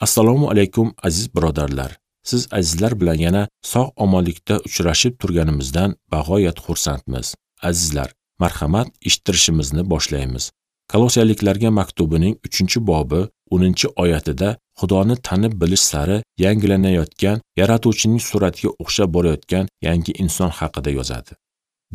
Assalomu alaykum aziz birodarlar. Siz azizlar bilan yana sog' omonlikda uchrashib turganimizdan bag'oyat xursandmiz. Azizlar, marhamat, eshittirishimizni boshlaymiz. Kolossaliklarga maktubining 3-bobi 10-oyatida Xudoni tanib bilish sari yangilanayotgan, Yaratuvchining suratiga o'xshab borayotgan yangi inson haqida yozadi.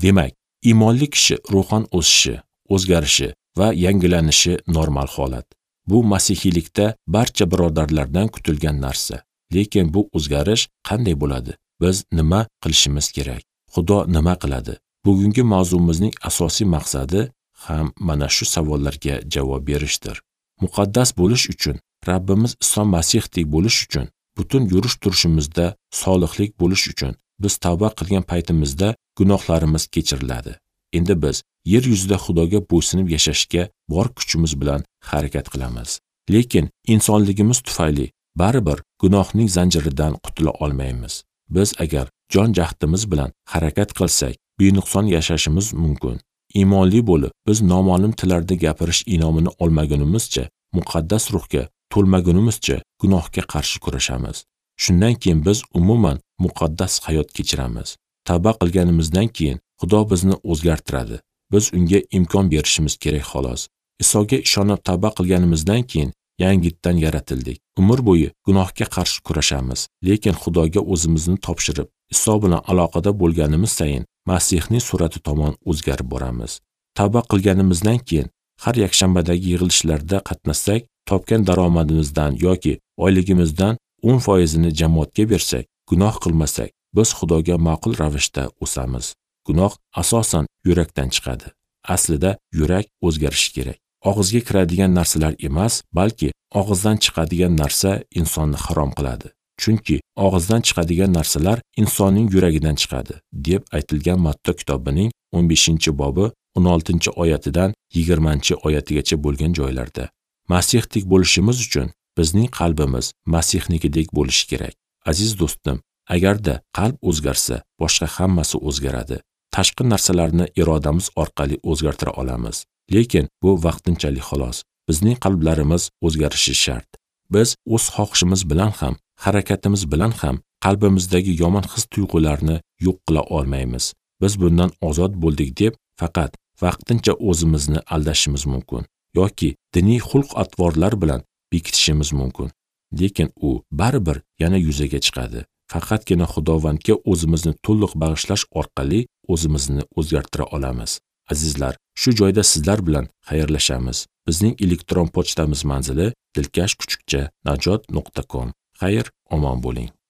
Demak, iymonli kishi ruhan o'sishi, o'zgarishi va yangilanishi normal holat. Bu masihiylikda barcha birodarlardan kutilgan narsa. Lekin bu o'zgarish qanday bo'ladi? Biz nima qilishimiz kerak? Xudo nima qiladi? Bugungi mavzumizning asosiy maqsadi ham mana shu savollarga javob berishdir. Muqaddas bo'lish uchun, Rabbimiz Iso Masihdek bo'lish uchun, butun yurish turishimizda solihlik bo'lish uchun biz tavba qilgan paytimizda gunohlarimiz kechiriladi. Endi biz yer yuzida Xudoga bo'ysunib yashashga bor kuchimiz bilan harakat qilamiz. Lekin insonligimiz tufayli baribir gunohning zanjiridan qutula olmaymiz. Biz agar jon jahdimiz bilan harakat qilsak, benuqson yashashimiz mumkin. Iymonli bo'lib, biz noma'lum tillarda gapirish inomini olmagunimizcha, muqaddas ruhga to'lmagunimizcha gunohga qarshi kurashamiz. Shundan keyin biz umuman muqaddas hayot kechiramiz. Tavba qilganimizdan keyin Xudo bizni o'zgartiradi. Biz unga imkon berishimiz kerak xolos. Isoga ishonib tavba qilganimizdan keyin yangitdan yaratildik. Umr bo'yi gunohga qarshi kurashamiz, lekin Xudoga o'zimizni topshirib, Iso bilan aloqada bo'lganimiz sayin Masihning surati tomon o'zgarib boramiz. Tavba qilganimizdan keyin har yakshanbadagi yig'ilishlarda qatnashsak, topgan daromadimizdan yoki oyligimizdan 10%ni jamoatga bersak, gunoh qilmasak, biz Xudoga ma'qul ravishda o'samiz. Gunoh asosan yurakdan chiqadi. Aslida yurak o'zgarishi kerak. Og'izga kiradigan narsalar emas, balki og'izdan chiqadigan narsa insonni harom qiladi. Chunki og'izdan chiqadigan narsalar insonning yuragidan chiqadi, deb aytilgan Matta kitobining 15-bobi 16-oyatidan 20-oyatigacha bo'lgan joylarda. Masihdek bo'lishimiz uchun bizning qalbimiz Masihnikidek bo'lishi kerak. Aziz do'stim, agarda qalb o'zgarsa, boshqa hammasi o'zgaradi. Tashqi narsalarni irodamiz orqali o'zgartira olamiz. Lekin bu vaqtinchalik xolos. Bizning qalblarimiz o'zgarishi shart. Biz o'z xohishimiz bilan ham, harakatimiz bilan ham qalbimizdagi yomon his-tuyg'ularni yo'q qila olmaymiz. Biz bundan ozod bo'ldik deb faqat vaqtincha o'zimizni aldashimiz mumkin yoki diniy xulq-atvorlar bilan bekitishimiz mumkin. Lekin u baribir yana yuzaga chiqadi. Faqatgina Xudovandga o'zimizni to'liq bag'ishlash orqali o'zimizni o'zgartira olamiz. Azizlar, shu joyda sizlar bilan xayrlashamiz. Bizning elektron pochtamiz manzili dilkash@najot.com. Xayr, omon bo'ling.